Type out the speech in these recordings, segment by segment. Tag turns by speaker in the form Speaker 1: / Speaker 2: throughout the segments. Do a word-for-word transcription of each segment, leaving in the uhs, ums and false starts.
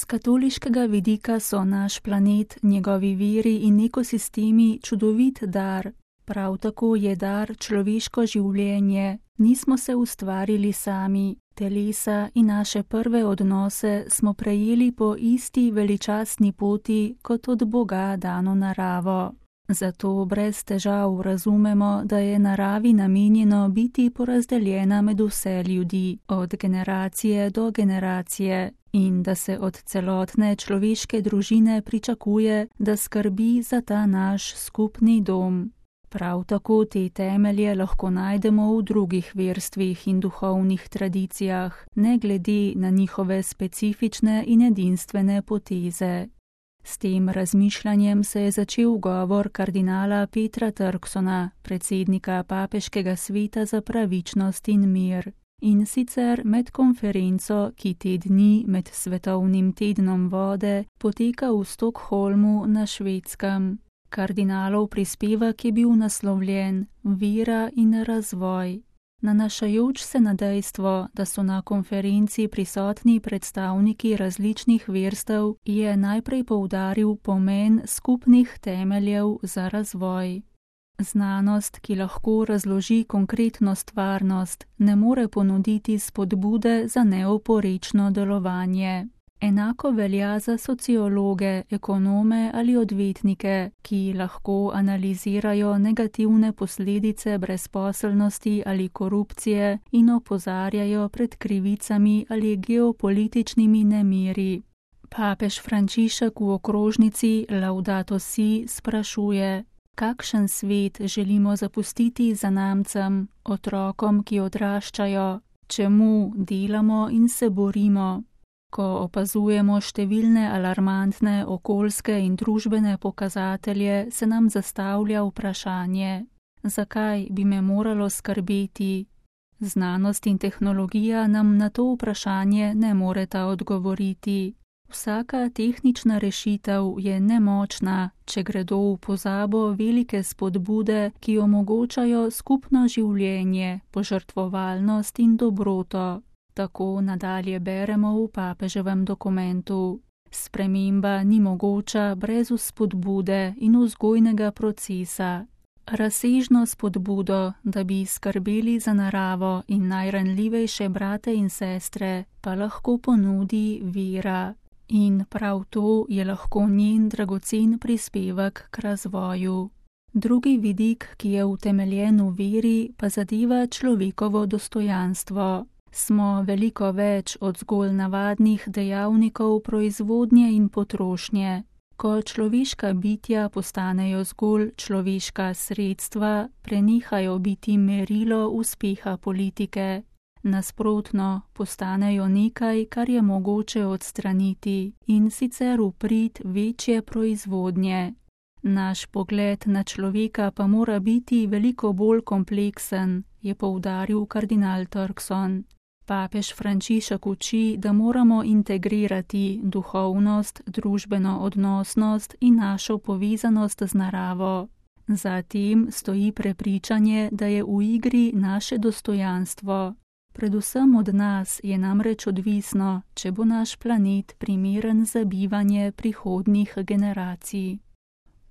Speaker 1: katoliškega vidika so naš planet, njegovi viri in ekosistemi čudovit dar. Prav tako je dar človeško življenje. Nismo se ustvarili sami. Telesa in naše prve odnose smo prejeli po isti veličastni poti kot od Boga dano naravo. Zato brez težav razumemo, da je naravi namenjeno biti porazdeljena med vse ljudi, od generacije do generacije, in da se od celotne človeške družine pričakuje, da skrbi za ta naš skupni dom. Prav tako te temelje lahko najdemo v drugih verstvih in duhovnih tradicijah, ne glede na njihove specifične in edinstvene poteze. S tem razmišljanjem se je začel govor kardinala Petra Turksona, predsednika Papeškega sveta za pravičnost in mir. In sicer med konferenco, ki te dni med svetovnim tednom vode poteka v Stockholmu na Švedskem. Kardinalov prispevek je bil naslovljen Vera in razvoj. Nanašajoč se na dejstvo, da so na konferenci prisotni predstavniki različnih verstev, je najprej poudaril pomen skupnih temeljev za razvoj. Znanost, ki lahko razloži konkretno stvarnost, ne more ponuditi spodbude za neoporečno delovanje. Enako velja za sociologe, ekonome ali odvetnike, ki lahko analizirajo negativne posledice brezposelnosti ali korupcije in opozarjajo pred krivicami ali geopolitičnimi nemiri. Papež Frančišek v okrožnici Laudato Si sprašuje, kakšen svet želimo zapustiti zanamcem, otrokom, ki odraščajo, čemu delamo in se borimo. Ko opazujemo številne alarmantne okoljske in družbene pokazatelje, se nam zastavlja vprašanje, zakaj bi me moralo skrbeti? Znanost in tehnologija nam na to vprašanje ne moreta odgovoriti. Vsaka tehnična rešitev je nemočna, če gredo v pozabo velike spodbude, ki omogočajo skupno življenje, požrtvovalnost in dobroto. Tako nadalje beremo v papeževem dokumentu. Sprememba ni mogoča brez vzpodbude in vzgojnega procesa. Razsežno spodbudo, da bi skrbeli za naravo in najranljivejše brate in sestre, pa lahko ponudi vera. In prav to je lahko njen dragocen prispevek k razvoju. Drugi vidik, ki je utemeljen v veri, pa zadeva človekovo dostojanstvo. Smo veliko več od zgolj navadnih dejavnikov proizvodnje in potrošnje. Ko človeška bitja postanejo zgolj človeška sredstva, prenehajo biti merilo uspeha politike. Nasprotno, postanejo nekaj, kar je mogoče odstraniti, in sicer v prid večje proizvodnje. Naš pogled na človeka pa mora biti veliko bolj kompleksen, je poudaril kardinal Turkson. Papež Frančišek uči, da moramo integrirati duhovnost, družbeno odnosnost in našo povezanost z naravo. Zatem stoji prepričanje, da je v igri naše dostojanstvo. Predvsem od nas je namreč odvisno, če bo naš planet primeren za bivanje prihodnjih generacij.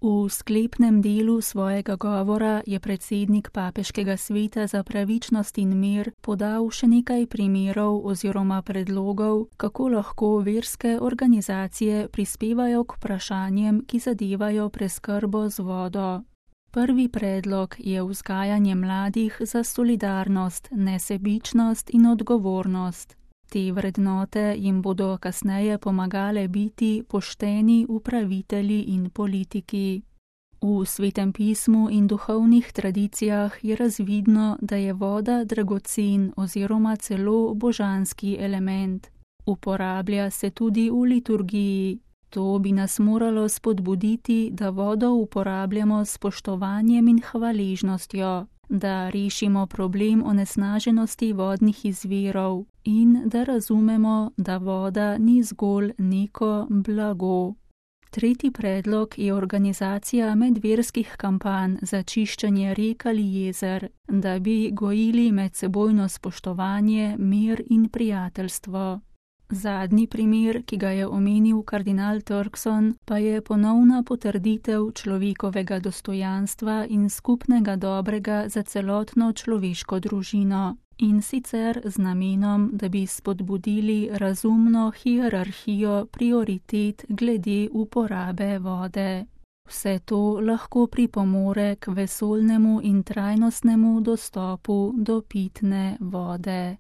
Speaker 1: V sklepnem delu svojega govora je predsednik Papeškega sveta za pravičnost in mir podal še nekaj primerov oziroma predlogov, kako lahko verske organizacije prispevajo k vprašanjem, ki zadevajo preskrbo z vodo. Prvi predlog je vzgajanje mladih za solidarnost, nesebičnost in odgovornost. Te vrednote jim bodo kasneje pomagale biti pošteni upravitelji in politiki. V Svetem pismu in duhovnih tradicijah je razvidno, da je voda dragocen oziroma celo božanski element. Uporablja se tudi v liturgiji. To bi nas moralo spodbuditi, da vodo uporabljamo s spoštovanjem in hvaležnostjo, da rešimo problem onesnaženosti vodnih izvirov in da razumemo, da voda ni zgolj neko blago. Tretji predlog je organizacija medverskih kampanj za čiščenje rek ali jezer, da bi gojili medsebojno spoštovanje, mir in prijateljstvo. Zadnji primer, ki ga je omenil kardinal Turkson, pa je ponovna potrditev človekovega dostojanstva in skupnega dobrega za celotno človeško družino. In sicer z namenom, da bi spodbudili razumno hierarhijo prioritet glede uporabe vode. Vse to lahko pripomore k vesoljnemu in trajnostnemu dostopu do pitne vode.